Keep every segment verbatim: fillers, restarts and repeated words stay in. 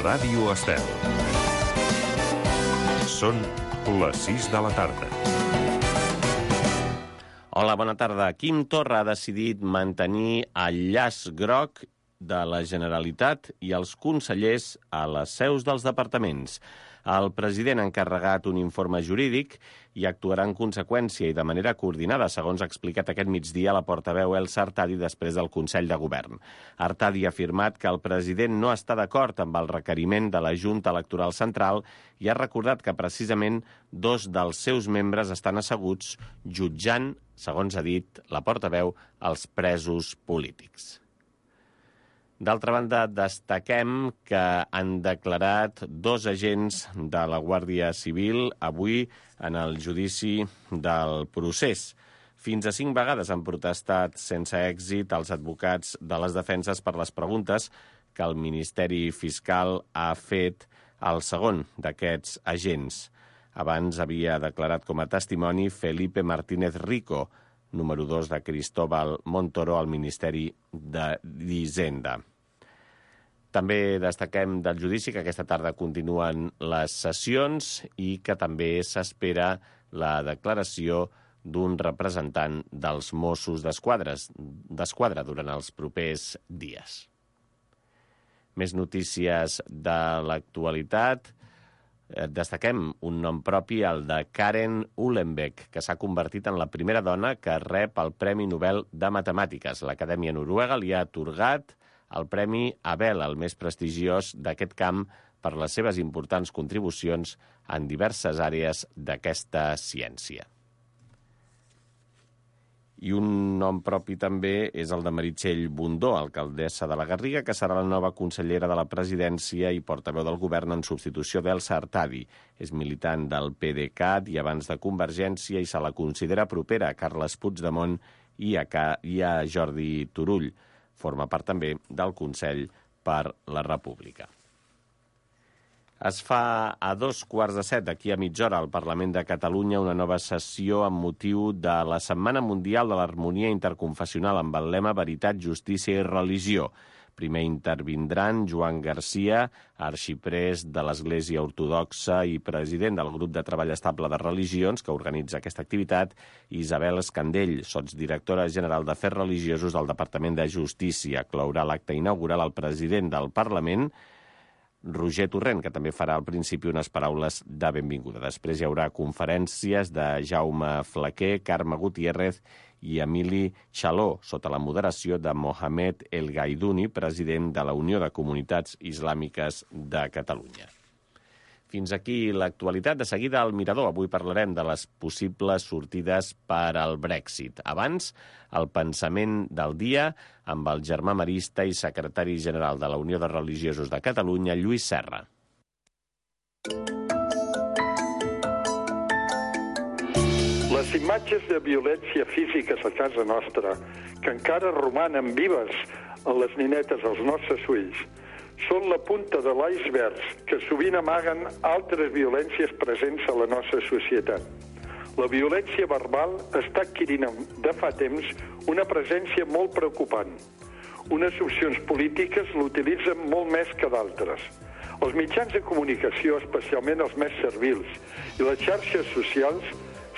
Ràdio Estel. Són les sis de la tarda. Hola, bona tarda. Quim Torra ha decidit mantenir el llaç groc de la Generalitat i els consellers a les seus dels departaments. El president ha encarregat un informe jurídic i actuarà en conseqüència i de manera coordinada, segons ha explicat aquest migdia la portaveu Elsa Artadi després del Consell de Govern. Artadi ha afirmat que el president no està d'acord amb el requeriment de la Junta Electoral Central i ha recordat que precisament dos dels seus membres estan asseguts jutjant, segons ha dit la portaveu, els presos polítics. D'altra banda, destaquem que han declarat dos agents de la Guàrdia Civil avui en el judici del procés. Fins a cinc vegades han protestat sense èxit els advocats de les defenses per les preguntes que el Ministeri Fiscal ha fet al segon d'aquests agents. Abans havia declarat com a testimoni Felipe Martínez Rico, número dos de Cristóbal Montoro al Ministeri d'Hisenda. També destaquem del judici que aquesta tarda continuen les sessions i que també s'espera la declaració d'un representant dels Mossos d'Esquadra durant els propers dies. Més notícies de l'actualitat. Destaquem un nom propi, el de Karen Uhlenbeck, que s'ha convertit en la primera dona que rep el Premi Nobel de Matemàtiques. L'Acadèmia Noruega li ha atorgat el Premi Abel, el més prestigiós d'aquest camp, per les seves importants contribucions en diverses àrees d'aquesta ciència. I un nom propi també és el de Meritxell Bundó, alcaldessa de la Garriga, que serà la nova consellera de la presidència i portaveu del govern en substitució d'Elsa Artadi. És militant del PDeCAT i abans de Convergència i se la considera propera a Carles Puigdemont i a, i a Jordi Turull. Forma part també del Consell per la República. Es fa a dos quarts de set, d'aquí a mitja hora, al Parlament de Catalunya, una nova sessió amb motiu de la Setmana Mundial de l'Harmonia Interconfessional amb el lema Veritat, Justícia i Religió. Primer intervindran Joan Garcia, arxiprés de l'Església Ortodoxa i president del Grup de Treball Estable de Religions, que organitza aquesta activitat, i Isabel Escandell, sotsdirectora general d'Afers Religiosos del Departament de Justícia. Clourà l'acte inaugural el president del Parlament, Roger Torrent, que també farà al principi unes paraules de benvinguda. Després hi haurà conferències de Jaume Flaquer, Carme Gutiérrez i Emili Xaló, sota la moderació de Mohamed El Gaiduni, president de la Unió de Comunitats Islàmiques de Catalunya. Fins aquí l'actualitat. De seguida al Mirador. Avui parlarem de les possibles sortides per al Brexit. Abans, el pensament del dia amb el germà marista i secretari general de la Unió de Religiosos de Catalunya, Lluís Serra. Les imatges de violència físiques a casa nostra, que encara romanen vives en les ninetes als nostres ulls, són la punta de l'iceberg que sovint amaguen altres violències presents a la nostra societat. La violència verbal està adquirint de fa temps una presència molt preocupant. Unes opcions polítiques l'utilitzen molt més que d'altres. Els mitjans de comunicació, especialment els més servils, i les xarxes socials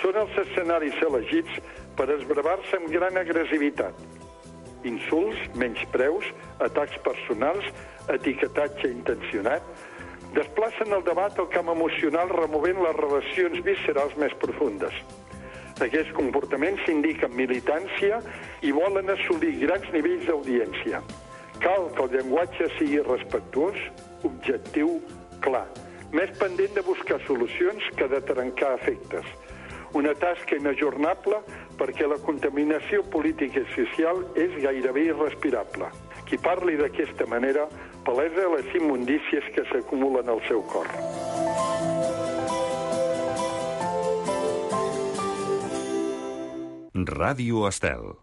són els escenaris elegits per esbravar-se amb gran agressivitat. Insults, menyspreus, atacs personals, etiquetatge intencionat, desplacen el debat al camp emocional removent les relacions viscerals més profundes. Aquests comportaments indiquen militància i volen assolir grans nivells d'audiència. Cal que el llenguatge sigui respectuós, objectiu, clar, més pendent de buscar solucions que de trencar efectes. Una tasca inajornable perquè la contaminació política i social és gairebé irrespirable. Qui parli d'aquesta manera palesa les immundícies que s'acumulen al seu cor. Ràdio Estel.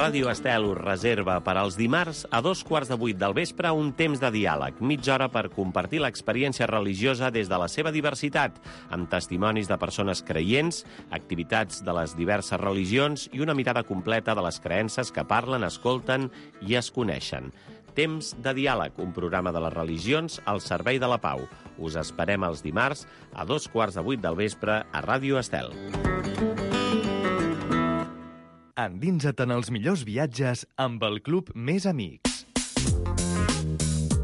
Ràdio Estel us reserva per als dimarts a dos quarts de vuit del vespre un temps de diàleg, mitja hora per compartir l'experiència religiosa des de la seva diversitat, amb testimonis de persones creients, activitats de les diverses religions i una mirada completa de les creences que parlen, escolten i es coneixen. Temps de diàleg, un programa de les religions al servei de la pau. Us esperem els dimarts a dos quarts de vuit del vespre a Ràdio Estel. Endinsa't en els millors viatges amb el Club Més Amics.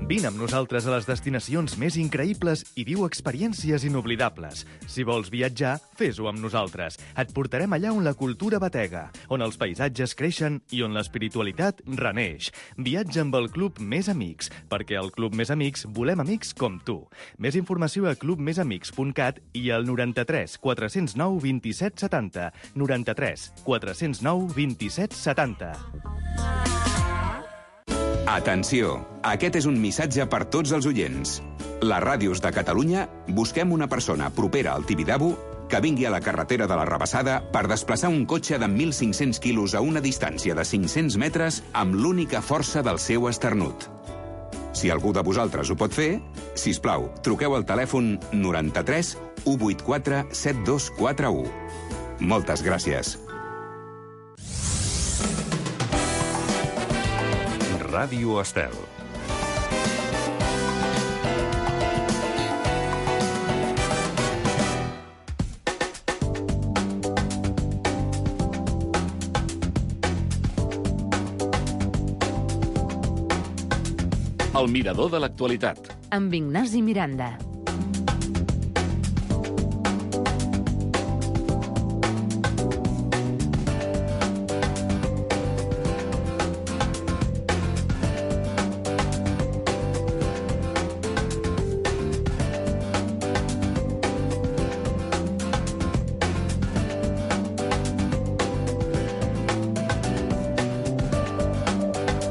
Vine amb nosaltres a les destinacions més increïbles i viu experiències inoblidables. Si vols viatjar, fes-ho amb nosaltres. Et portarem allà on la cultura batega, on els paisatges creixen i on l'espiritualitat reneix. Viatja amb el Club Més Amics, perquè al Club Més Amics volem amics com tu. Més informació a club més amics punt cat i al noranta-tres quatre zero nou vint-i-set setanta. noranta-tres quatre zero nou vint-i-set setanta. Atenció! Aquest és un missatge per tots els oients. Les ràdios de Catalunya busquem una persona propera al Tibidabo que vingui a la carretera de la Rabassada per desplaçar un cotxe de mil cinc-cents quilos a una distància de cinc-cents metres amb l'única força del seu esternut. Si algú de vosaltres ho pot fer, sisplau, truqueu al telèfon noranta-tres u vuitanta-quatre set dos quatre u. Moltes gràcies. Ràdio Estel. El mirador de l'actualitat. Amb Ignasi Miranda.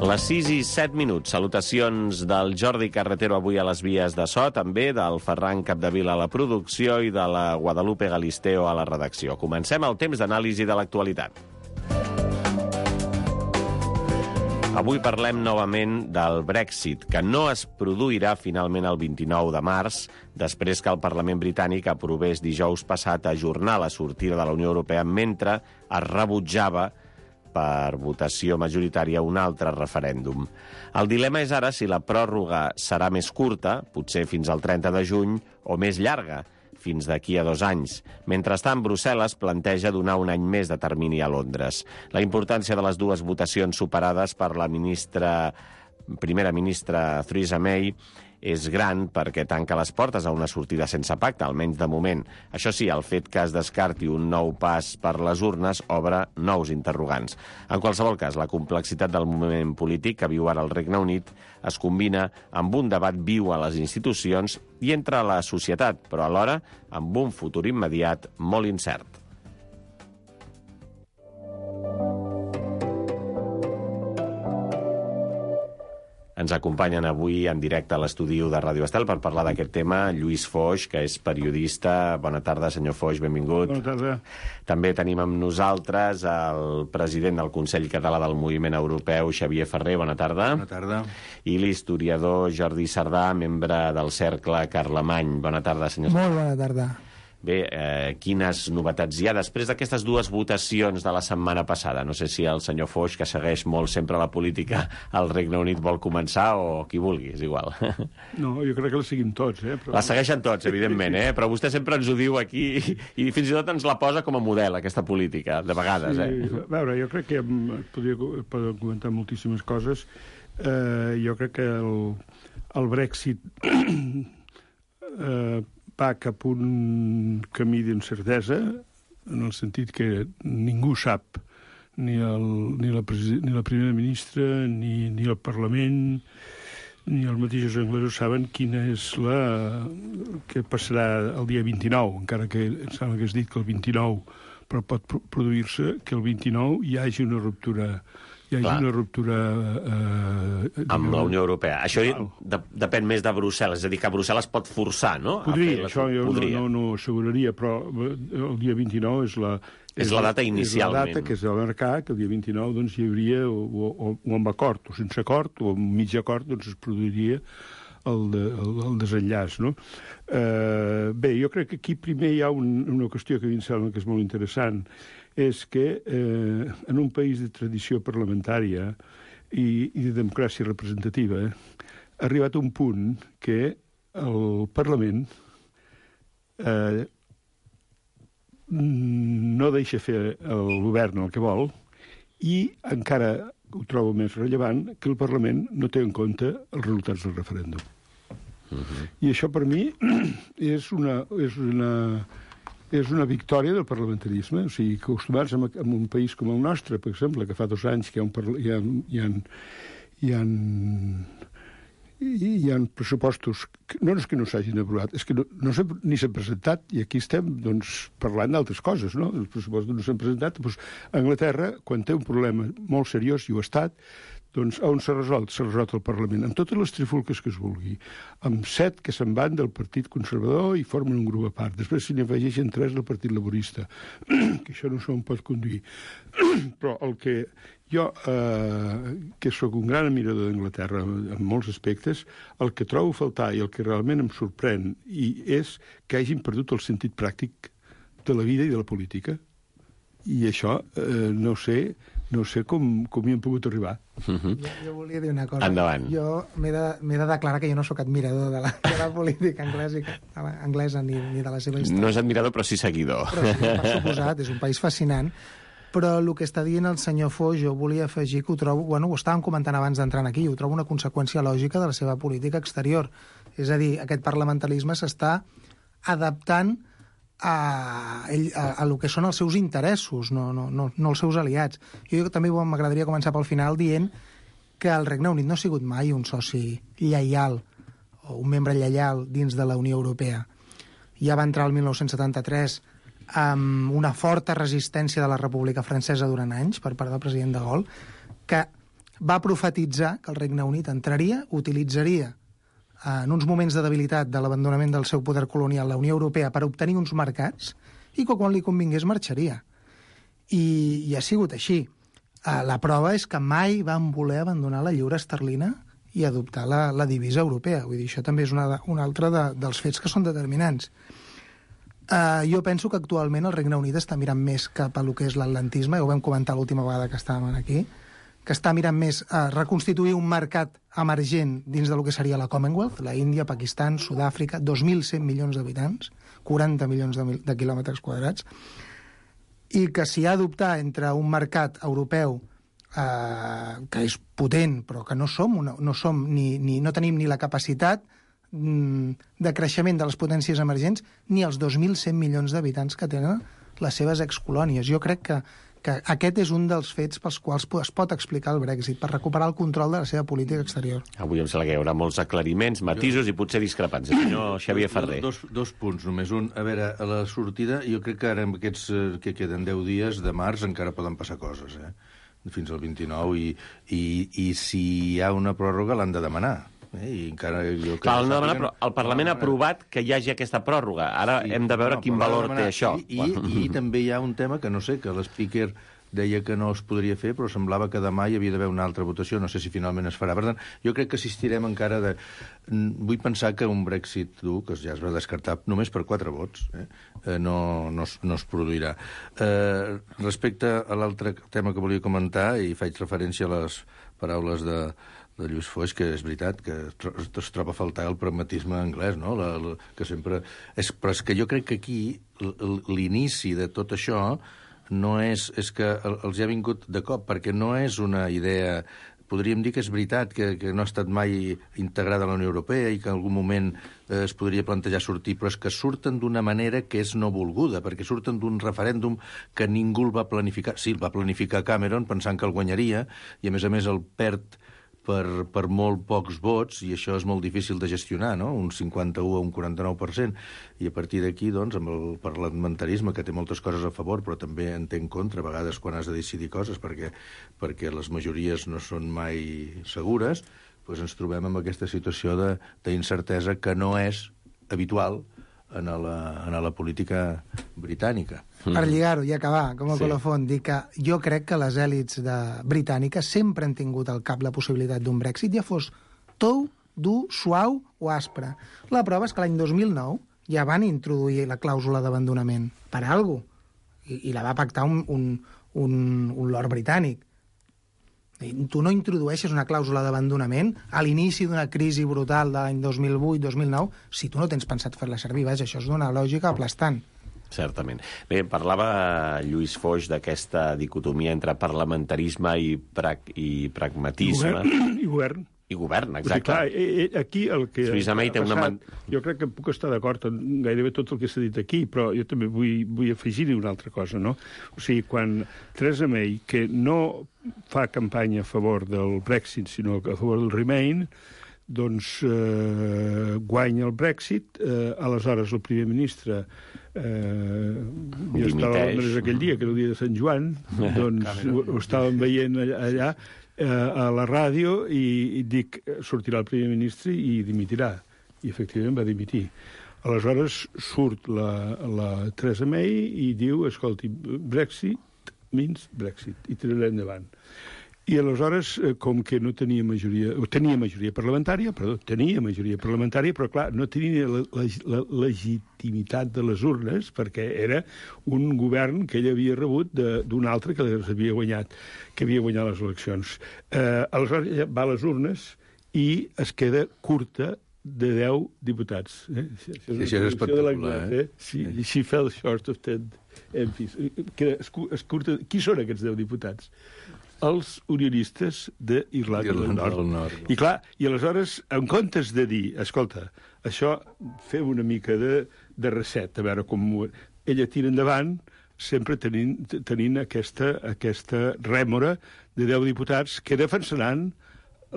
Les sis i set minuts. Salutacions del Jordi Carretero avui a les vies de so, també del Ferran Capdevila a la producció i de la Guadalupe Galisteo a la redacció. Comencem el temps d'anàlisi de l'actualitat. Avui parlem novament del Brexit, que no es produirà finalment el vint-i-nou de març, després que el Parlament britànic aprovés dijous passat ajornar la sortida de la Unió Europea mentre es rebutjava per votació majoritària un altre referèndum. El dilema és ara si la pròrroga serà més curta, potser fins al trenta de juny, o més llarga, fins d'aquí a dos anys. Mentrestant, Brussel·les planteja donar un any més de termini a Londres. La importància de les dues votacions superades per la ministra, primera ministra Theresa May és gran perquè tanca les portes a una sortida sense pacte, almenys de moment. Això sí, el fet que es descarti un nou pas per les urnes obre nous interrogants. En qualsevol cas, la complexitat del moment polític que viu ara el Regne Unit es combina amb un debat viu a les institucions i entre la societat, però alhora amb un futur immediat molt incert. Ens acompanyen avui en directe a l'estudi de Ràdio Estel per parlar d'aquest tema Lluís Foix, que és periodista. Bona tarda, senyor Foix, benvingut. Bona tarda. També tenim amb nosaltres el president del Consell Català del Moviment Europeu, Xavier Ferrer. Bona tarda. Bona tarda. I l'historiador Jordi Sardà, membre del Cercle Carlemany. Bona tarda, senyor Sardà. Molt bona tarda. Bé, eh, quines novetats hi ha després d'aquestes dues votacions de la setmana passada? No sé si el senyor Foix, que segueix molt sempre la política al Regne Unit, vol començar, o qui vulgui, és igual. No, jo crec que la seguim tots, eh? Però... La segueixen tots, evidentment, eh? Però vostè sempre ens ho diu aquí i, i fins i tot ens la posa com a model, aquesta política, de vegades, eh? Sí, a veure, jo crec que podria, podria comentar moltíssimes coses. Eh, jo crec que el, el Brexit eh, va cap un camí d'incertesa, en el sentit que ningú sap, ni, el, ni, la, ni la primera ministra, ni, ni el Parlament, ni els mateixos anglesos saben quina és la... què passarà el dia vint-i-nou, encara que em sembla que has dit que el vint-i-nou, però pot produir-se que el vint-i-nou hi hagi una ruptura... Hi ha una ruptura... Eh, amb la Unió Europea. Això de, depèn més de Brussel·les, és a dir, que Brussel·les pot forçar, no? Podria, això jo podria. no, no, no asseguraria, però el dia vint-i-nou és la... És la data inicialment. És la data que és de marcar, que el dia vint-i-nou doncs, hi hauria, o, o, o amb acord, o sense acord, o amb mig acord, doncs es produiria el, de, el, el desenllaç, no? Eh, bé, jo crec que aquí primer hi ha un, una qüestió que a mi em sembla que és molt interessant, és que eh, en un país de tradició parlamentària i, i de democràcia representativa, ha arribat a un punt que el Parlament eh, no deixa fer el govern el que vol i encara ho trobo més rellevant que el Parlament no té en compte els resultats del referèndum. Uh-huh. I això per mi és una, és una, és una victòria del parlamentarisme. O sigui, acostumats en, en un país com el nostre, per exemple, que fa dos anys que hi ha, un, hi ha, hi ha, hi ha, hi ha pressupostos, que, no és que no s'hagin aprovat, és que no, no ni s'han presentat, i aquí estem doncs, parlant d'altres coses, no? Els pressupostos no s'han presentat. Doncs, a Anglaterra, quan té un problema molt seriós, i ho ha estat, doncs on s'ha resolt? S'ha resolt el Parlament, amb totes les trifulques que es vulgui, amb set que se'n van del Partit Conservador i formen un grup a part. Després se n'hi afegeixen tres del Partit Laborista, que això no se'n pot conduir. Però el que jo, eh, que sóc un gran admirador d'Anglaterra en molts aspectes, el que trobo a faltar i el que realment em sorprèn i és que hagin perdut el sentit pràctic de la vida i de la política. I això, eh, no sé... no sé com, com hi hem pogut arribar. Uh-huh. jo, jo volia dir una cosa. Endavant. Jo m'he de, m'he de declarar que jo no sóc admirador de la, de la política anglesa, anglesa ni, ni de la seva història. No és admirador, però sí seguidor. Però sí, per suposat, és un país fascinant. Però el que està dient el senyor Foix, jo volia afegir que ho trobo... Bueno, ho estàvem comentant abans d'entrar aquí, ho trobo una conseqüència lògica de la seva política exterior. És a dir, aquest parlamentarisme s'està adaptant A, ell, a, a lo que són els seus interessos, no, no, no, no els seus aliats. Jo també m'agradaria començar pel final dient que el Regne Unit no ha sigut mai un soci lleial o un membre lleial dins de la Unió Europea. Ja va entrar el dinou setanta-tres amb una forta resistència de la República Francesa durant anys per part del president de Gaulle, que va profetitzar que el Regne Unit entraria, utilitzaria en uns moments de debilitat de l'abandonament del seu poder colonial la Unió Europea per obtenir uns mercats i que quan li convingués marxaria. I, i ha sigut així. La prova és que mai van voler abandonar la lliura esterlina i adoptar la, la divisa europea. Vull dir, això també és una, una altra de, dels fets que són determinants. Uh, jo penso que actualment el Regne Unit està mirant més cap a lo que és l'atlantisme, ja ho vam comentar l'última vegada que estàvem aquí, que està mirant més a reconstituir un mercat emergent dins del que seria la Commonwealth, la Índia, Pakistan, Sud-àfrica, dos mil cent milions d'habitants, quaranta milions de, de quilòmetres quadrats, i que s'hi ha d'optar entre un mercat europeu eh, que és potent, però que no som, una, no, som ni, ni, no tenim ni la capacitat mm, de creixement de les potències emergents, ni els dos mil cent milions d'habitants que tenen les seves excolònies. Jo crec que que aquest és un dels fets pels quals es pot explicar el Brexit, per recuperar el control de la seva política exterior. Avui em sembla que hi haurà molts aclariments, matisos jo... i potser discrepants. El senyor Xavier Ferrer. Dos, dos punts, només un. A veure, a la sortida, jo crec que ara amb aquests que queden deu dies de març encara poden passar coses, eh? Fins al vint-i-nou, i, i, i si hi ha una pròrroga l'han de demanar. Eh? I encara, jo Clar, el, demanar, però el Parlament ha aprovat que hi hagi aquesta pròrroga. Ara sí, hem de veure no, quin valor té això. I, i, I també hi ha un tema que no sé, que l'speaker deia que no es podria fer, però semblava que demà hi havia d'haver una altra votació. No sé si finalment es farà. Per tant, jo crec que assistirem encara de... Vull pensar que un Brexit dur, que ja es va descartar només per quatre vots, eh? no, no, no es produirà. Eh, respecte a l'altre tema que volia comentar, i faig referència a les paraules de... de Lluís Foix, que és veritat que es troba a faltar el pragmatisme anglès, no? La, la, que sempre... És, però és que jo crec que aquí l'inici de tot això no és... És que els ha vingut de cop, perquè no és una idea... Podríem dir que és veritat que, que no ha estat mai integrada a la Unió Europea i que en algun moment eh, es podria plantejar sortir, però és que surten d'una manera que és no volguda, perquè surten d'un referèndum que ningú el va planificar. Sí, el va planificar Cameron pensant que el guanyaria, i a més a més el perd per, per molt pocs vots, i això és molt difícil de gestionar, no? Un cinquanta-u a un quaranta-nou per cent. I a partir d'aquí, doncs, amb el parlamentarisme, que té moltes coses a favor, però també en té en contra, a vegades quan has de decidir coses, perquè, perquè les majories no són mai segures, doncs ens trobem amb aquesta situació d'incertesa que no és habitual en la, en la política britànica. Per lligar-ho i acabar, com a sí. colofon, dir que jo crec que les èlits de britàniques sempre han tingut al cap la possibilitat d'un Brexit, ja fos tou, dur, suau o aspre. La prova és que l'any dos mil nou ja van introduir la clàusula d'abandonament per alguna cosa, i, i la va pactar un, un, un, un lord britànic. Tu no introdueixes una clàusula d'abandonament a l'inici d'una crisi brutal de l'any dos mil vuit dos mil nou si tu no tens pensat fer-la servir. Vaja, això és d'una lògica aplastant. Certament. Bé, parlava Lluís Foix d'aquesta dicotomia entre parlamentarisme i, pra i pragmatisme. I govern. I govern. I govern, exacte. Clar, aquí el que Theresa May té una man... Jo crec que puc estar d'acord en gairebé tot el que s'ha dit aquí, però jo també vull, vull afegir-hi una altra cosa, no? O sigui, quan Theresa May, que no fa campanya a favor del Brexit, sinó a favor del Remain, doncs eh, guanya el Brexit, eh, aleshores el primer ministre eh, jo estava a Londres aquell dia, que era el dia de Sant Joan, doncs ho, ho estàvem veient allà, allà a la ràdio i, i dic, sortirà el primer ministre i dimitirà. I efectivament va dimitir. Aleshores surt la, la Theresa May i diu, escolti, Brexit means Brexit, i tirarà endavant. I aleshores, com que no tenia majoria, o tenia majoria parlamentària, perdó, tenia majoria parlamentària, però clar, no tenia la, la, la legitimitat de les urnes, perquè era un govern que ell havia rebut d'un altre que les havia guanyat, que havia guanyat les eleccions. Eh, aleshores ja va a les urnes i es queda curta de deu diputats. Eh? Això és, és espectacular, eh? Sí, she fell short of ten M Ps. Que es, es curta... Qui són aquests deu diputats? Els unionistes d'Irlanda del Nord. del Nord. I clar, i aleshores, en comptes de dir, escolta, això fem una mica de, de reset, a veure com... Ella tira endavant, sempre tenint, tenint aquesta, aquesta rèmora de deu diputats que defensaran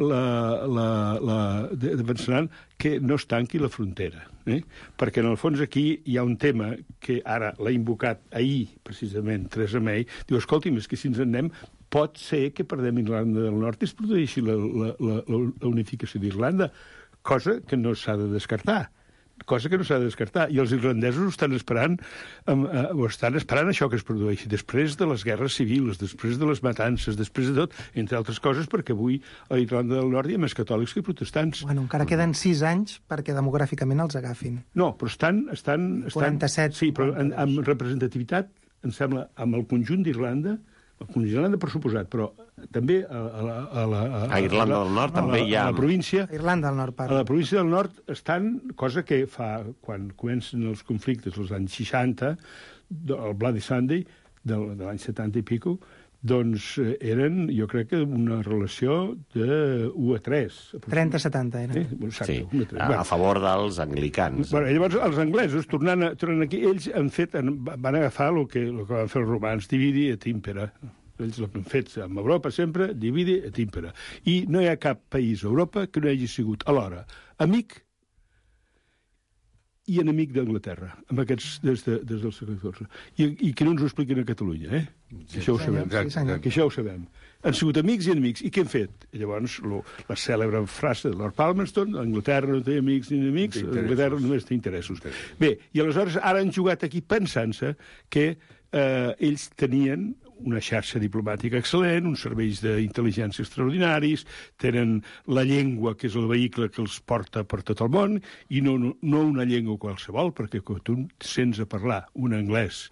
la, la, la, defensaran que no es tanqui la frontera. Eh? Perquè, en el fons, aquí hi ha un tema que ara l'ha invocat ahir, precisament, Theresa May, diu, escolti'm, és que si ens en anem pot ser que perdem Irlanda del Nord i es produeixi la, la, la, la unificació d'Irlanda, cosa que no s'ha de descartar. Cosa que no s'ha de descartar. I els irlandesos ho estan esperant, ho estan esperant això que es produeixi, després de les guerres civils, després de les matances, després de tot, entre altres coses, perquè avui a Irlanda del Nord hi ha més catòlics que protestants. Bueno, encara queden sis anys perquè demogràficament els agafin. No, però estan... estan, estan quaranta-set. Sí, però en, amb representativitat, em sembla, amb el conjunt d'Irlanda, el conjunt d'Irlanda, per suposat, però també a, a, a, la, a, a Irlanda del Nord també hi ha... A la província... A Irlanda del Nord, parla. A la província del Nord estan, cosa que fa, quan comencen els conflictes als anys seixanta, el Bloody Sunday, de, de l'any setanta i pico, doncs eren, jo crec que una relació de u a tres. trenta a setanta era. Eh? Exacte, sí, u a tres. a, a favor dels anglicans. Bueno, llavors, els anglesos, tornant, a, tornant aquí, ells han fet, van agafar el que, el que van fer els romans, dividi et impera. Ells l'han fet amb Europa sempre, dividi et impera. I no hi ha cap país a Europa que no hagi sigut alhora amic i enemic d'Anglaterra, amb aquests des, de, des del segle catorze. I, I que no ens ho expliquen a Catalunya, eh? Sí, això ho sabem. Sí, senyor. Que això ho sabem. Han sigut amics i enemics. I què han fet? I llavors, lo, la cèlebre frase de Lord Palmerston, Anglaterra no té amics ni enemics, Anglaterra només té interessos. Bé, i aleshores ara han jugat aquí pensant-se que eh, ells tenien una xarxa diplomàtica excel·lent, uns serveis d'intel·ligència extraordinaris, tenen la llengua, que és el vehicle que els porta per tot el món, i no, no, no una llengua qualsevol, perquè quan tu sents a parlar un anglès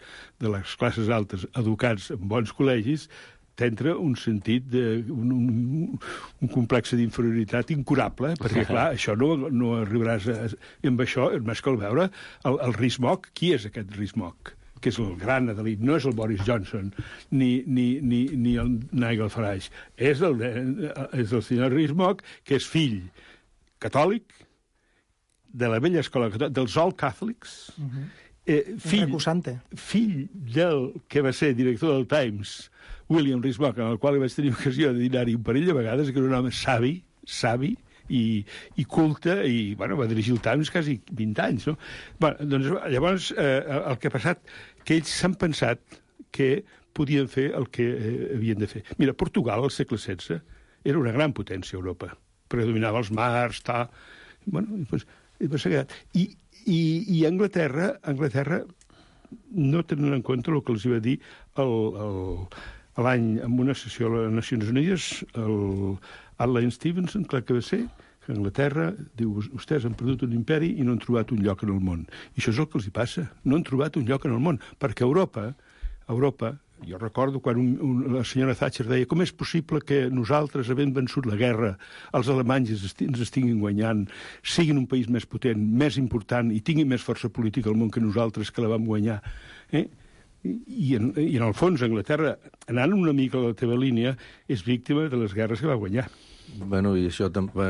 de les classes altes educats en bons col·legis, t'entra un sentit de... un, un, un complex d'inferioritat incurable, perquè, clar, això no, no arribaràs a... Amb això, més que el veure, el, el Rees-Mogg, qui és aquest Rees-Mogg? Que és el gran Adelit, no és el Boris Johnson, ni, ni, ni, ni el Nigel Farage. És el, és el senyor Rees-Mogg, que és fill catòlic de la vella escola catòlica, dels All Catholics, uh-huh. eh, fill, fill del que va ser director del Times, William Rees-Mogg, en el qual vaig tenir ocasió de dinar-hi un parell de vegades, que era un home savi, savi, i, i culte, i bueno, va dirigir el Times quasi vint anys, no? Bueno, doncs, llavors, eh, el que ha passat, que ells s'han pensat que podien fer el que eh, havien de fer. Mira, Portugal, al segle setze, era una gran potència a Europa. Predominava els mars, ta... Bueno, doncs, I, i, i Anglaterra, Anglaterra, no tenen en compte el que els va dir l'any, en una sessió a les Nacions Unides, el Adlai Stevenson, clar que va ser, que Anglaterra diu, vostès han perdut un imperi i no han trobat un lloc en el món. I això és el que els hi passa. No han trobat un lloc en el món, perquè Europa, Europa Jo recordo quan un, un, la senyora Thatcher deia com és possible que nosaltres, havent vençut la guerra, els alemanys ens, esti ens estiguin guanyant, siguin un país més potent, més important i tinguin més força política al món que nosaltres, que la vam guanyar. Eh? I en, I en el fons, Anglaterra, anant una mica a la teva línia, és víctima de les guerres que va guanyar. Bueno, i això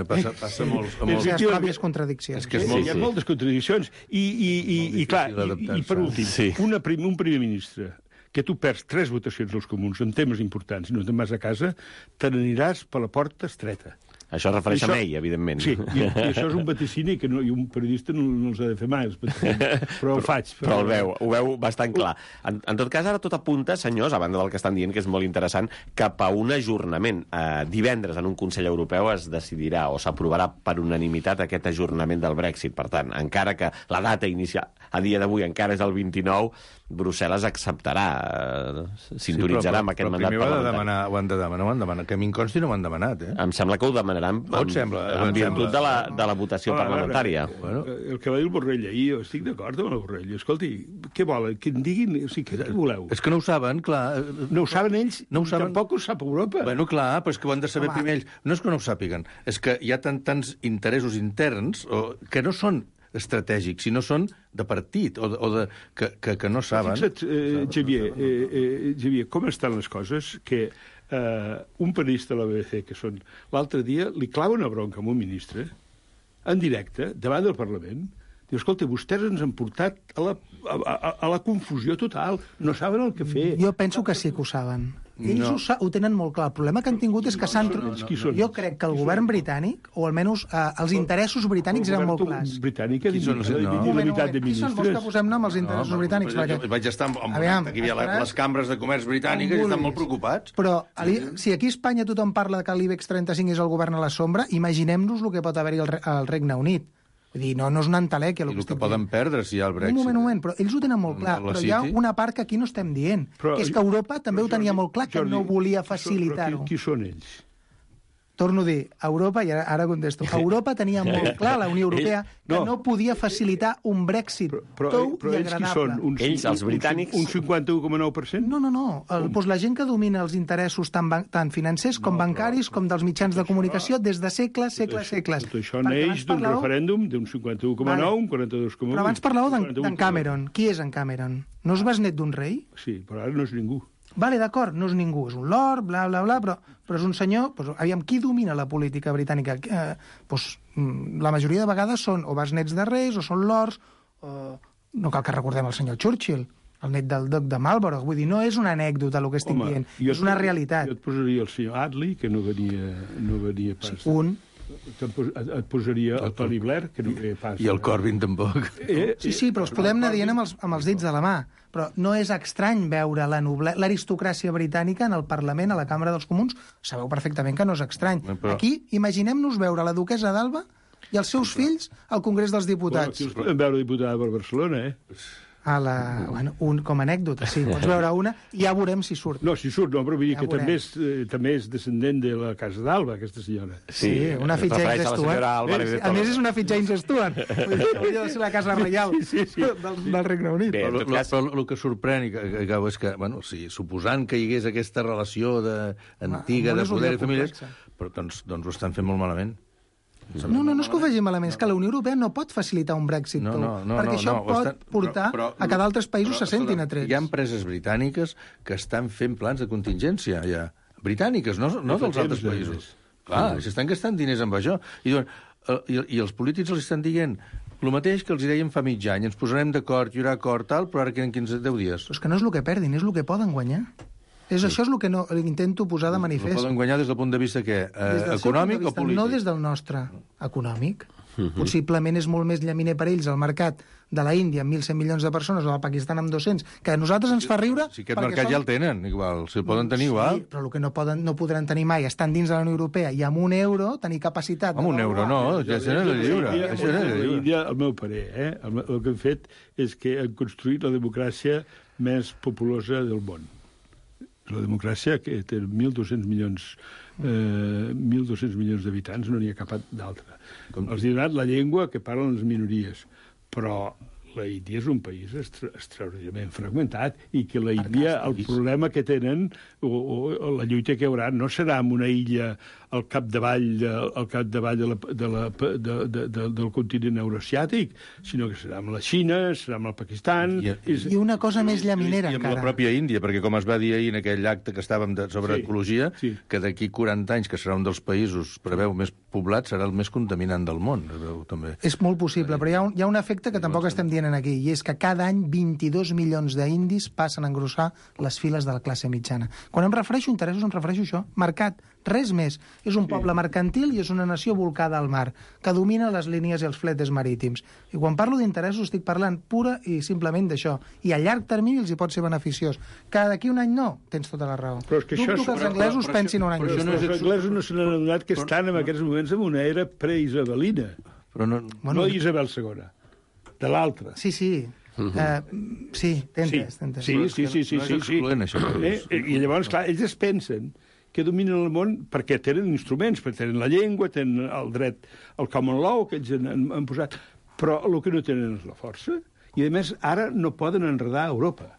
passa, passa a molts... A molts... Hi ha pròpies contradiccions. És que és sí, molt, hi ha moltes contradiccions. I, i, i, i clar, i, i per últim, sí. una prim, un primer ministre que tu perds tres votacions als comuns en temes importants i no te'n vas a casa, te n'aniràs per la porta estreta. Això es refereix això, a ell, evidentment. Sí, i, i això és un vaticini que no, i un periodista no, no els ha de fer mai, els vaticinis, però ho faig. Però, però el veu, ho veu bastant clar. En, en tot cas, ara tot apunta, senyors, a banda del que estan dient, que és molt interessant, cap a un ajornament. Eh, divendres en un Consell Europeu es decidirà o s'aprovarà per unanimitat aquest ajornament del Brexit. Per tant, encara que la data inicial a dia d'avui encara és el vint-i-nou, Brussel·les acceptarà, eh, sintonitzarà sí, però, amb aquest però mandat parlamentari. parlamentari. Demanar, ho han de demanar, ho han demanat. Que a mi em consti no ho han demanat, eh? Em sembla que ho demanaran en, sembla, en virtut sembla. de la, de la votació Ah, parlamentària. Ara, bueno. El que va dir el Borrell ahir, jo estic d'acord amb el Borrell. Escolti, què volen? Que en diguin... O sigui, què voleu? És que no ho saben, clar. No ho saben ells, no ho saben. Tampoc ho sap Europa. Bueno, clar, però és que ho han de saber Home. primer ells. No és que no ho sàpiguen, és que hi ha tant, tants interessos interns o, que no són estratègics, sinó són de partit, o, de, o de, que, que, que no saben. Fixa't, eh, Xavier, eh, eh, Xavier, com estan les coses que eh, un periodista de la B B C, que són l'altre dia, li clava una bronca a un ministre, en directe, davant del Parlament, diu, escolta, vostès ens han portat a la, a, a, a la confusió total, no saben el que fer. Jo penso que sí que ho saben. Ells No. ho, sa ho tenen molt clar. El problema que han tingut és que s'han... no, no, no. Jo crec que el govern britànic, o almenys eh, els interessos britànics eren molt clars. El britànic ha Qui són els- dividit no. la unitat de Qui són? Vols que ministres. posem nom als interessos No, britànics? però Perquè... jo vaig estar amb, amb Aviam, que hi havia la, esperat. les cambres de comerç britàniques i estan molt preocupats. Però ali, si aquí a Espanya tothom parla que l'IBEX trenta-cinc és el govern a la sombra, imaginem-nos el que pot haver-hi al, Re al Regne Unit. Vull dir, no, no és una entelèquia el I que el que estic poden dient. perdre si hi ha el Brexit. Un moment, un moment, però ells ho tenen molt clar. La Però hi ha City. una part que aquí no estem dient, Però- que és que Europa també ho Però, tenia Jordi, molt clar, que Jordi, no volia qui són- facilitar-ho. però Qui, qui són ells? Torno a dir, Europa, i ara, ara contesto, Europa tenia molt clar, la Unió Europea, que No. no podia facilitar un Brexit Però, però, tou però i ells qui agradable. són? Un, Ells, els un- britànics? Un cinquanta-u coma nou per cent? No, no, no. El, doncs la gent que domina els interessos tant, ban tant financers com bancaris com dels mitjans de comunicació des de segles, segles, segles. Tot això Perquè neix abans d'un parlàveu- referèndum d'un cinquanta-u coma nou, Vale. un quaranta-dos coma vuit. Però abans parlàveu d'en quaranta-un d'en Cameron. Qui és en Cameron? No és besnet d'un rei? Sí, però ara no és ningú. Vale, d'acord, no és ningú, és un lord, bla, bla, bla, però, però és un senyor... Doncs, aviam, qui domina la política britànica? Eh, doncs, mm, la majoria de vegades són o besnets de reis, o són lords, o... no cal que recordem el senyor Churchill, el net del duc de Marlborough. Vull dir, no és una anècdota el que estic Home, dient, jo és una et- realitat. Jo et posaria el senyor Attlee, que no venia, no venia pas. Sí, un. Te'n pos- Et, et posaria el Tony Blair, que no venia pas. I el Corbyn tampoc. Eh, Sí, sí, però els podem anar dient amb els, amb els dits de la mà. Però no és estrany veure la noble... l'aristocràcia britànica en el Parlament, a la Cambra dels Comuns. Sabeu perfectament que no és estrany. Però- Aquí, imaginem-nos veure la duquesa d'Alba i els seus fills al Congrés dels Bueno, Diputats. aquí els podem veure diputada per Barcelona, eh? A la... bueno, un, com a anècdota, sí. Pots veure una i ja veurem si surt. No, si surt, no, però vull dir Ja que veurem. també és, eh, també és descendent de la Casa d'Alba, aquesta senyora. Sí, una es fitxa refereix James a la Stewart. senyora Álvarez de A més, Toledo. és una fitxa James Stewart. Vull dir que hauria de ser la Casa Reial Sí, sí, sí. Del, del Regne Unit. Bé, en Però, tot lo- cas- però el que sorprèn i que, que acabo és que, bueno, sí, suposant que hi hagués aquesta relació de, antiga el món de és un poder lloc i famílies, complex. però doncs, doncs ho estan fent molt malament. No, no, no és que ho vegi malament, és que la Unió Europea no pot facilitar un Brexit No, tou, no, no, perquè no, això no, ho pot estan- portar però- però- a que d'altres països però, se sentin escolta, atrets. Hi ha empreses britàniques que estan fent plans de contingència, ja. Britàniques, no, no fa dels altres temps, països. eh? Clar, s'estan gastant diners amb això. I, diuen, eh, i, I els polítics els estan dient el mateix que els hi dèiem fa mig any, ens posarem d'acord, hi haurà acord, tal, però ara queden quinze, deu dies. Però és que no és el que perdin, és el que poden guanyar. És, Això és el que no, intento posar de No manifest. poden guanyar des del punt de vista que, Des eh, del seu econòmic punt de o vista, polític? No des del nostre econòmic. Possiblement és molt més llaminer per ells el mercat de la Índia amb mil cent milions de persones o del Pakistan amb dos-cents, que a nosaltres ens fa riure... Si aquest perquè mercat som- ja el tenen, igual, si el poden tenir Sí, igual. però el que no, poden, no podran tenir mai estan dins de la Unió Europea i amb un euro tenir capacitat... de Amb un euro, no, ja això no és lliure. L'Índia, Això no és lliure. l'Índia, el meu parer, eh? el, el que han fet és que han construït la democràcia més populosa del món. La democràcia, que té mil dos-cents milions, eh, mil dos-cents milions d'habitants, no n'hi ha cap d'altra. Els hi ha donat la llengua que parlen les minories, però la Índia és un país extra, extraordinàriament fragmentat i que la Índia, el problema que tenen, o, o la lluita que hi haurà, no serà en una illa al capdavall, de, al capdavall de la, de la, de, de, de, del continent euroasiàtic, sinó que serà amb la Xina, serà amb el Pakistan... I, i, i una cosa més llaminera, i, i amb encara. la pròpia Índia, perquè com es va dir ahir en aquell acte que estàvem de, sobre sí, ecologia, sí. que d'aquí quaranta anys, que serà un dels països, preveu, més poblat, serà el més contaminant del món, es veu, també. És molt possible, però hi ha un, hi ha un efecte que tampoc estem dient aquí, i és que cada any vint-i-dos milions d'indis passen a engrossar les files de la classe mitjana. Quan em refereixo a interessos, em refereixo a això, mercat, res més. És un poble mercantil i és una nació volcada al mar, que domina les línies i els fletes marítims. I quan parlo d'interessos estic parlant pura i simplement d'això. I a llarg termini els hi pot ser beneficiós. Que d'aquí un any no, tens tota la raó. Però és que Dubto això, que els però, anglesos però, però, pensin un any però, després. però, però els anglesos no se n'han adonat que estan en aquests moments en una era preisabelina. Però no, bueno, no Isabel segona, de l'altra. Sí, sí. Uh, sí, t'entens, t'entens. Sí, sí, sí, sí, no és sí, sí. excloent, això. Eh? I llavors, clar, ells es pensen que dominen el món perquè tenen instruments, perquè tenen la llengua, tenen el dret al common law que ells han, han posat, però el que no tenen és la força, i a més ara no poden enredar Europa.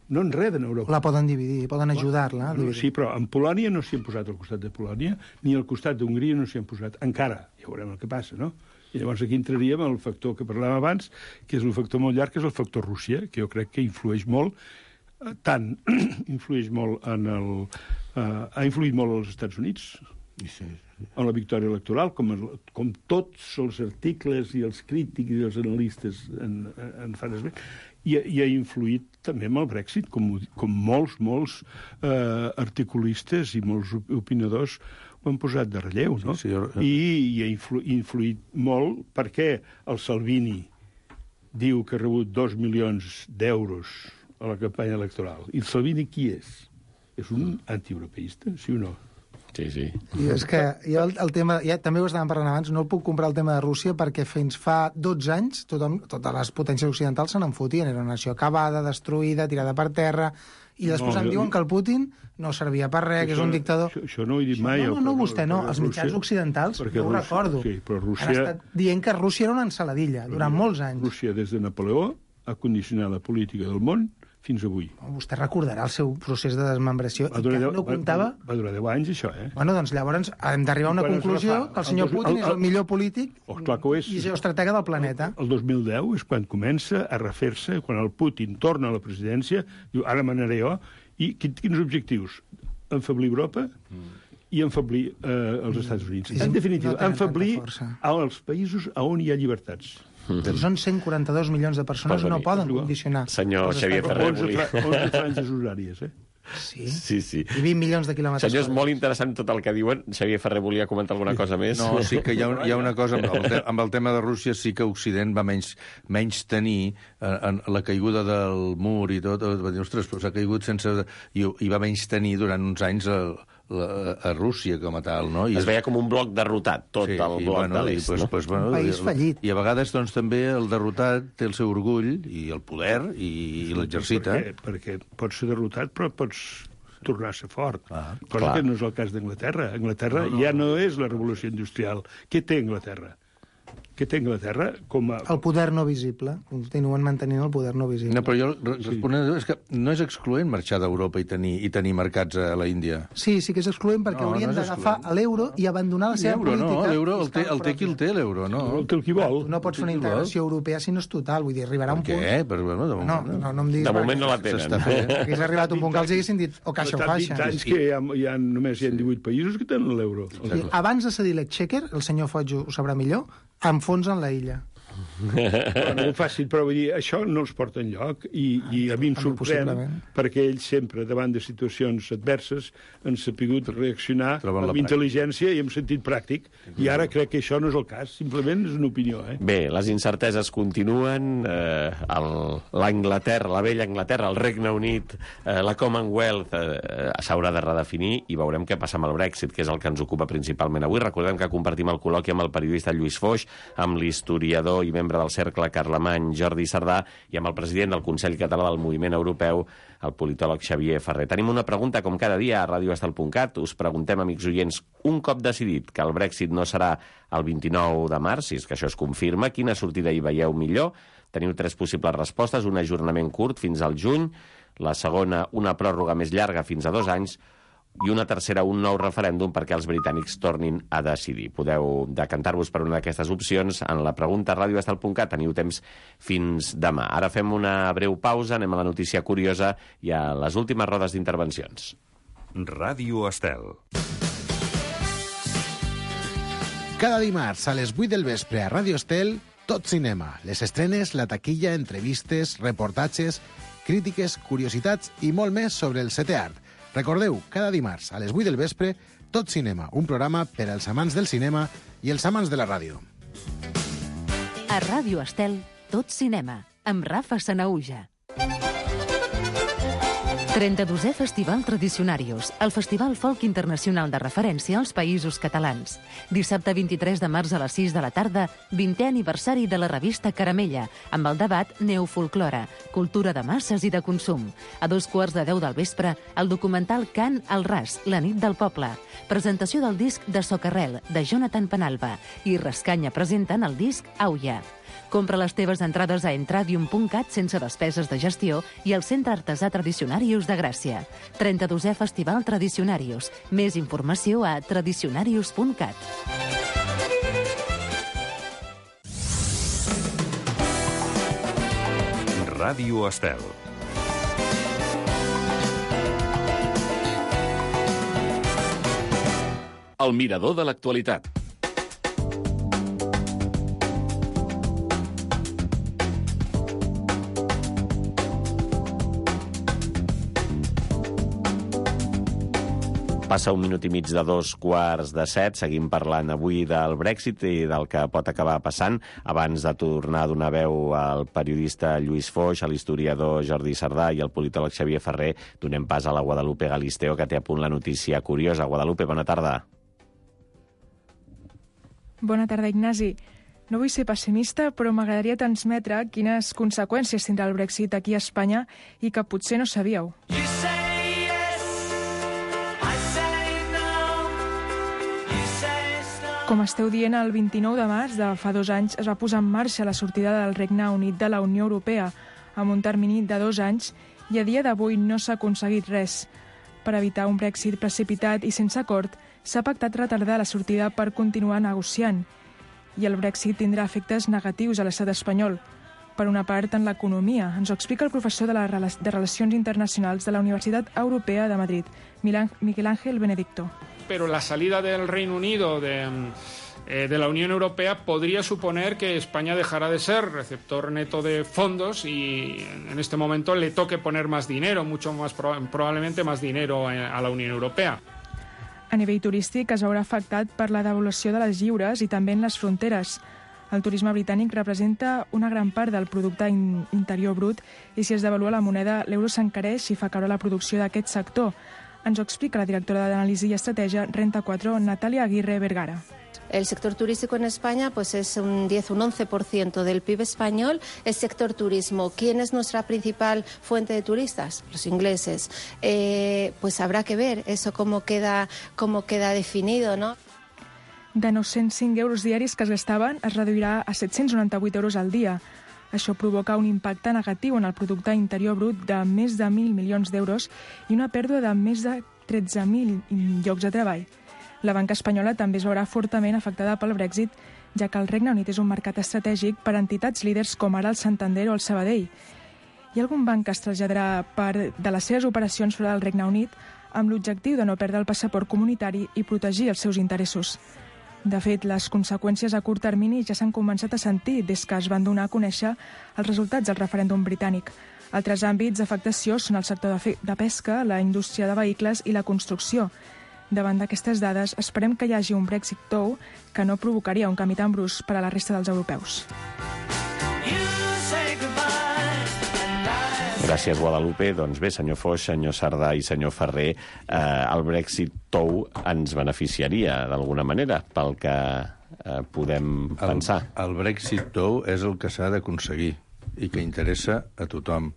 No enreden Europa. La poden dividir, poden ajudar-la. No, sí, però en Polònia no s'hi han posat al costat de Polònia, ni al costat d'Hongria no s'hi han posat. Encara, ja veurem el que passa, no? I llavors aquí entraríem el factor que parlàvem abans, que és un factor molt llarg, que és el factor Rússia, que jo crec que influeix molt, tant influeix molt en el... Uh, ha influït molt als Estats Units, sí, sí. En la victòria electoral, com, com tots els articles i els crítics i els analistes en, en fan esment, i, i ha influït també amb el Brexit, com, com molts, molts uh, articulistes i molts opinadors ho han posat de relleu, no? Sí, sí, jo... I, i ha influ, influït molt perquè el Salvini diu que ha rebut dos milions d'euros a la campanya electoral. I el Salvini qui és? És un antieuropeista, sí o no? Sí, sí. I és que jo el, el tema, ja també ho estàvem parlant abans, no el puc comprar el tema de Rússia perquè fins fa dotze anys tothom, totes les potències occidentals se n'enfotien. Era una nació acabada, destruïda, tirada per terra, i després no, em diuen que el Putin no servia per res, que és un dictador. Això, això no ho he dit mai. No, no, no, vostè no. Els mitjans occidentals, jo ho recordo. Sí, però Rússia... Han estat dient que Rússia era una ensaladilla durant molts anys. Rússia, des de Napoleó, ha condicionat la política del món fins avui. Vostè recordarà el seu procés de desmembració i que no comptava... Va, va durar deu anys, això, eh? Bueno, doncs llavors hem d'arribar a una conclusió que el senyor Putin és el millor polític oh, clar que ho és. i geoestratega del planeta. El dos mil deu és quan comença a refer-se, quan el Putin torna a la presidència, diu, ara manaré jo, i quins objectius? Enfablir Europa i enfablir eh, els Estats Units. En definitiva, enfablir els països on hi ha llibertats. Si són cent quaranta-dos milions de persones, no poden condicionar. Senyor Xavier Ferrer, volia... onze franges horàries, eh? Sí? Sí, sí. I vint milions de quilòmetres. Senyor, és molt interessant tot el que diuen. Xavier Ferrer volia comentar alguna cosa més? No, sí que hi ha, hi ha una cosa, amb el, te amb el tema de Rússia sí que Occident va menys, menys tenir en, en la caiguda del mur i tot, va dir, ostres, però s'ha caigut sense... I, i va menys tenir durant uns anys el, la, a Rússia com a tal, no? I es veia com un bloc derrotat, tot sí, el bloc bueno, de l'est, pues, no? Pues, bueno, un país i, fallit. I a vegades, doncs, també el derrotat té el seu orgull i el poder i, i l'exercita. Perquè, perquè pots ser derrotat, però pots tornar a ser fort. Ah, cosa clar. Que no és el cas d'Anglaterra. Anglaterra no, no. ja no és la revolució industrial. Què té Anglaterra? Què té Anglaterra com a... El poder no visible. Continuen mantenint el poder no visible. No, però jo responent, sí. És que no és excloent marxar d'Europa i tenir, i tenir mercats a la Índia. Sí, sí que és excloent perquè no, haurien no d'agafar l'euro i abandonar la seva euro, política. No, l'euro el, té, el té qui el té, l'euro, no? El té el qui vol. Tu no pots fer una integració europea si no és total. Vull dir, arribarà un punt... Per què? Per, bueno, de moment, no, no, no em diguis... De moment no la tenen. Hagués arribat un punt que els haguessin dit o caixa o faixa. vint anys que hi ha, hi ha, només hi ha divuit països que tenen l'euro. Abans de cedir l'exchequer, el senyor Foig ho sabrà millor, enfonsen la illa. Però no ho facin, però vull dir, això no els porta enlloc i, i a mi em sorprèn perquè ells sempre, davant de situacions adverses, han sapigut reaccionar amb intel·ligència i amb sentit pràctic, i ara crec que això no és el cas, simplement és una opinió. Eh? Bé, les incerteses continuen, eh, l'Anglaterra, la vella Anglaterra, el Regne Unit, eh, la Commonwealth eh, s'haurà de redefinir i veurem què passa amb el Brexit, que és el que ens ocupa principalment avui. Recordem que compartim el col·loqui amb el periodista Lluís Foix, amb l'historiador i membre membre del Cercle Carlemany, Jordi Sardà, i amb el president del Consell Català del Moviment Europeu, el politòleg Xavier Ferrer. Tenim una pregunta, com cada dia, a radio estel punt cat. Us preguntem, amics oients, un cop decidit que el Brexit no serà el vint-i-nou de març, si és que això es confirma, quina sortida hi veieu millor? Teniu tres possibles respostes: un ajornament curt fins al juny, la segona, una pròrroga més llarga fins a dos anys, i una tercera, un nou referèndum perquè els britànics tornin a decidir. Podeu decantar-vos per una d'aquestes opcions en la pregunta a radio estel punt cat. Teniu temps fins demà. Ara fem una breu pausa, anem a la notícia curiosa i a les últimes rodes d'intervencions. Ràdio Estel. Cada dimarts a les vuit del vespre a Ràdio Estel, tot cinema. Les estrenes, la taquilla, entrevistes, reportatges, crítiques, curiositats i molt més sobre el setè art. Recordeu, cada dimarts a les vuit del vespre, Tot Cinema, un programa per als amants del cinema i els amants de la ràdio. A Ràdio Estel, Tot Cinema, amb Rafa Sanahuja. trenta-dosè Festival Tradicionarius, el festival folk internacional de referència als països catalans. Dissabte vint-i-tres de març a les sis de la tarda, vintè aniversari de la revista Caramella, amb el debat Neofolklore, cultura de masses i de consum. A dos quarts de deu del vespre, el documental Cant al Ras, la nit del poble. Presentació del disc de Socarrel, de Jonathan Penalba, i Rascanya presenten el disc Auia. Compra les teves entrades a entradium punt cat sense despeses de gestió i al Centre Artesà Tradicionarius de Gràcia. trenta-dosè Festival Tradicionarius. Més informació a tradicionarius punt cat. Ràdio Estel. El mirador de l'actualitat. Passa un minut i mig de dos quarts de set. Seguim parlant avui del Brexit i del que pot acabar passant. Abans de tornar a donar veu al periodista Lluís Foix, a l'historiador Jordi Sardà i al politòleg Xavier Ferrer, donem pas a la Guadalupe Galisteo, que té a punt la notícia curiosa. Guadalupe, bona tarda. Bona tarda, Ignasi. No vull ser pessimista, però m'agradaria transmetre quines conseqüències tindrà el Brexit aquí a Espanya i que potser no sabíeu. Com esteu dient, el vint-i-nou de març de fa dos anys es va posar en marxa la sortida del Regne Unit de la Unió Europea amb un termini de dos anys i a dia d'avui no s'ha aconseguit res. Per evitar un Brexit precipitat i sense acord, s'ha pactat retardar la sortida per continuar negociant. I el Brexit tindrà efectes negatius a l'estat espanyol. Per una part, en l'economia. Ens ho explica el professor de, la, de Relacions Internacionals de la Universitat Europea de Madrid, Miguel Ángel Benedicto. Pero la salida del Reino Unido de, eh, de la Unión Europea podría suponer que España dejara de ser receptor neto de fondos y en este momento le toque poner más dinero, mucho más probablemente más dinero a la Unión Europea. A nivell turístic es veurà afectat per la devaluació de les lliures i també en les fronteres. El turisme britànic representa una gran part del producte in interior brut i si es devalua la moneda, l'euro s'encareix i fa caure la producció d'aquest sector. Ens ho explica la directora d'Anàlisi i Estratègia Renta quatre, Natalia Aguirre Vergara. El sector turístico en España pues es un diez, un once por ciento del P I B español, es sector turismo. ¿Quién es nuestra principal fuente de turistas? Los ingleses. Eh, pues habrá que ver eso cómo queda, cómo queda definido, ¿no? De nou-cents cinc euros diaris que es gastaven es reduirà a set-cents noranta-vuit euros al dia. Això provoca un impacte negatiu en el producte interior brut de més de mil milions d'euros i una pèrdua de més de tretze mil llocs de treball. La banca espanyola també es veurà fortament afectada pel Brexit, ja que el Regne Unit és un mercat estratègic per a entitats líders com ara el Santander o el Sabadell. Hi ha algun banc que es traslladarà part de les seves operacions fora del Regne Unit amb l'objectiu de no perdre el passaport comunitari i protegir els seus interessos. De fet, les conseqüències a curt termini ja s'han començat a sentir des que es van donar a conèixer els resultats del referèndum britànic. Altres àmbits d'afectació són el sector de pesca, la indústria de vehicles i la construcció. Davant d'aquestes dades, esperem que hi hagi un Brexit tou que no provocaria un canvi tan brusc per a la resta dels europeus. Gràcies, Guadalupe. Doncs bé, senyor Foix, senyor Sardà i senyor Ferrer, eh, el Brexit tou ens beneficiaria d'alguna manera pel que eh, podem el, pensar. El Brexit tou és el que s'ha d'aconseguir i que interessa a tothom,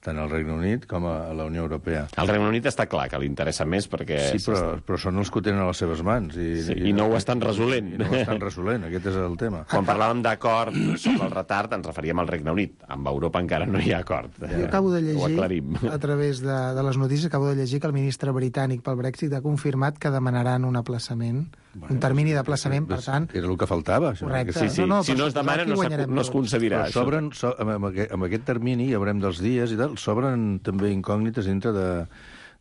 tant al Regne Unit com a la Unió Europea. Al Regne Unit està clar que li interessa més perquè... Sí, però, però són els que ho tenen a les seves mans. I, sí, i, i no ho estan resolent. I no ho estan resolent, aquest és el tema. Quan parlàvem d'acord sobre el retard, ens referíem al Regne Unit. Amb Europa encara no hi ha acord. Jo acabo de llegir, a través de, de les notícies, acabo de llegir que el ministre britànic pel Brexit ha confirmat que demanaran un aplaçament, bueno, un termini d'aplaçament, per tant... Era el que faltava. Correcte. Sí, sí. No, no, si no es demana, no, no es concedirà. Però sobren, so, amb, aquest, amb aquest termini, ja veurem dels dies i tal, sobren també incògnites dintre de,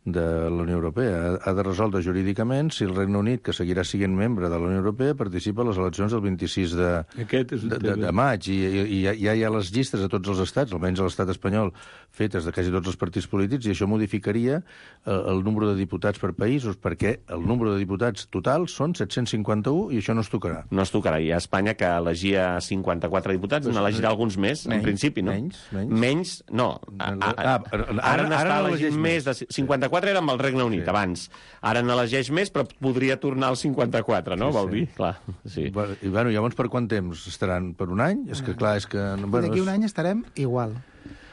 de la Unió Europea. Ha, ha de resoldre jurídicament si el Regne Unit, que seguirà sent membre de la Unió Europea, participa a les eleccions del vint-i-sis de, de, de, de maig. I, i, i ja, ja hi ha les llistes a tots els estats, almenys a l'estat espanyol, fetes de quasi tots els partits polítics, i això modificaria el, el número de diputats per països, perquè el número de diputats total són set-cents cinquanta-un i això no es tocarà. No es tocarà. I a Espanya, que elegia cinquanta-quatre diputats, pues, n'elegirà alguns més, menys, en principi, no? Menys, menys. Menys, no. A, a, a, ara ara n'està elegint més. De cinquanta-quatre era amb el Regne Unit, sí, abans. Ara n'elegeix més, però podria tornar al cinquanta-quatre, no? Sí, vol sí. dir? Clar, sí. I, bueno, llavors per quant temps estaran? Per un any? És que, clar, és que... Bueno, d'aquí un any estarem igual.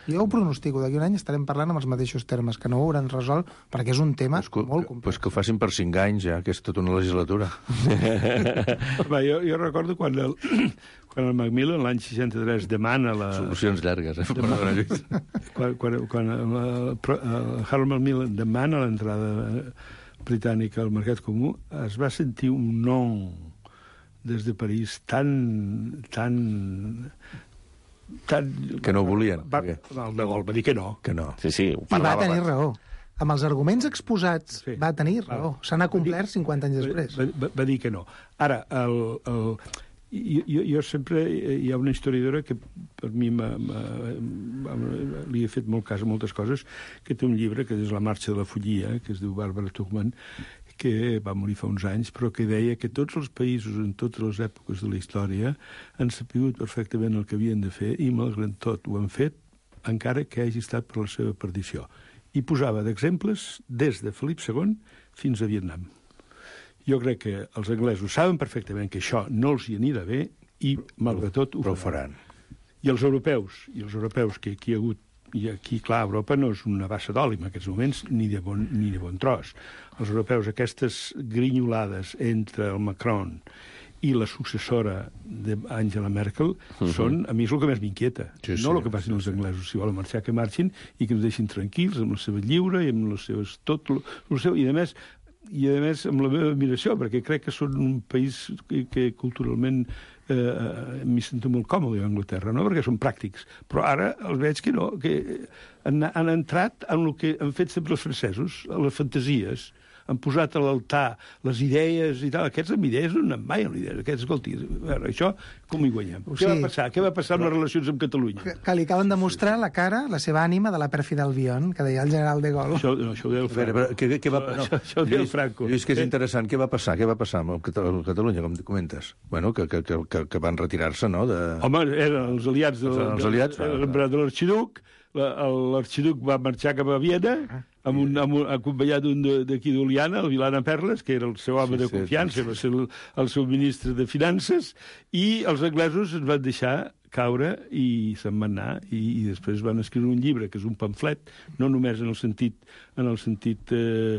Jo ho pronostico, d'aquí un any estarem parlant amb els mateixos termes, que no ho hauran resolt, perquè és un tema pues que, molt complex. Pues que ho facin per cinc anys, ja, que és tota una legislatura. Va, jo, jo recordo quan el, quan el Macmillan, l'any seixanta-tres, demana la... Solucions llargues, eh? Demana, quan quan, quan el, el Harold Macmillan demana l'entrada britànica al mercat comú, es va sentir un no des de París tan... tan Tan... que no ho volien. Va, el de Gaulle va dir que no. Que no. Sí, sí, ho I va tenir abans. raó. Amb els arguments exposats sí. va tenir raó. Se n'ha complert cinquanta anys després. Va, va, va dir que no. Ara, el, el, jo, jo sempre... Hi ha una historiadora que per mi m ha, m ha, li he fet molt cas a moltes coses, que té un llibre que és La marxa de la follia, que es diu Barbara Tuchman, que va morir fa uns anys, però que deia que tots els països en totes les èpoques de la història han sapigut perfectament el que havien de fer i, malgrat tot, ho han fet, encara que hagi estat per la seva perdició. I posava d'exemples des de Felip segon fins a Vietnam. Jo crec que els anglesos saben perfectament que això no els hi anirà bé i, malgrat tot, ho faran. I els europeus, i els europeus que aquí hi ha hagut, i aquí, clar, Europa no és una bassa d'oli en aquests moments, ni de bon, ni de bon tros. Els europeus, aquestes grinyolades entre el Macron i la successora d'Angela Merkel, uh-huh. són, a mi és el que més m'inquieta. Sí, no sí, el que passin els anglesos. Si volen marxar, que marxin i que ens deixin tranquils amb la seva lliure i amb les seves... tot el seu... I, a més, i a més, amb la meva admiració, perquè crec que són un país que, que culturalment eh, m'hi sento molt còmode a Anglaterra, no? Perquè són pràctics. Però ara els veig que no, que han, han entrat en el que han fet sempre els francesos, a les fantasies, han posat a l'altar les idees i tal. Aquests amb idees no anem mai amb idees. Aquests, escolti, a veure, això com hi guanyem? O sigui, què va passar? Què va passar amb les relacions amb Catalunya? Que, que li acaben de mostrar la cara, la seva ànima de la pèrfida Albion, que deia el general de Gaulle. Això, no, això ho deia el Franco. Veure, què, què va... no, això, això ho deia el Franco. Lluís, que és interessant. Què va passar? Què va passar amb Catalunya, com comentes? Bueno, que, que, que, que van retirar-se, no? De... Home, eren els aliats de, els aliats, de, de, de, de l'arxiduc. L'arxiduc va marxar cap a Viena, amb un, amb un, acompanyat d'un d'aquí d'Oliana, el Vilana Perles, que era el seu home sí, de confiança, sí, sí. va ser el, el seu ministre de Finances, i els anglesos es van deixar caure i se'n van anar, i, i després van escriure un llibre, que és un pamflet, no només en el sentit, en el sentit eh,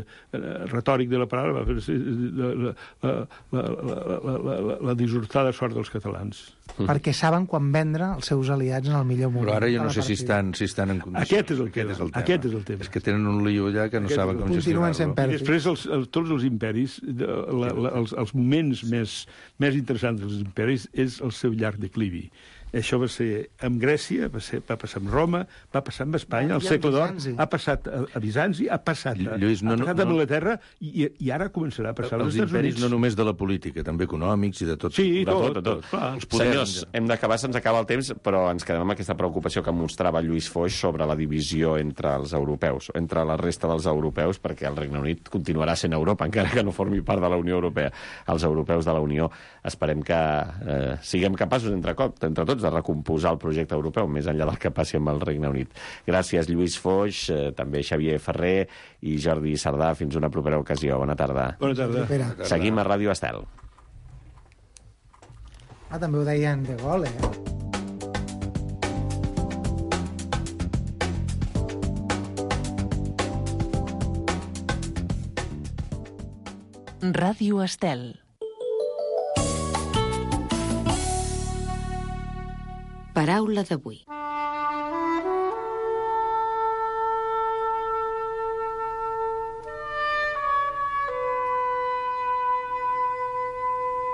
retòric de la paraula, la, la, la, la, la, la, la dissortada sort dels catalans. Perquè saben quan vendre els seus aliats en el millor moment. Però ara jo no sé si estan, si estan en condicions. Aquest és el, aquest és el tema. Aquest és el tema. És que tenen un lío allà que no Aquest saben com gestionar-lo. I després els, els, tots els imperis, la, la, els, els moments més, més interessants dels imperis és el seu llarg declivi. Això va ser amb Grècia, va, ser, va passar amb Roma, va passar amb Espanya, al segle d'or, ha passat a, a Bizanci, ha passat a, Lluís, no, ha passat no, a Anglaterra i, i ara començarà a passar als Estats Units. Els imperis no només de la política, també econòmics i de tot. Sí, de tot, tot, tot. tot. tot. Senyors, hem d'acabar, se'ns acaba el temps, però ens quedem amb aquesta preocupació que mostrava Lluís Foix sobre la divisió entre els europeus, entre la resta dels europeus, perquè el Regne Unit continuarà sent Europa, encara que no formi part de la Unió Europea. Els europeus de la Unió esperem que eh, siguem capaços entre, cop, entre tots de recomposar el projecte europeu, més enllà del que passi amb el Regne Unit. Gràcies, Lluís Foix, eh, també Xavier Ferrer i Jordi Sardà. Fins una propera ocasió. Bona tarda. Bona tarda. Seguim a Ràdio Estel. Ah, també ho deien de gol, eh? Ràdio Estel. Paraula d'avui.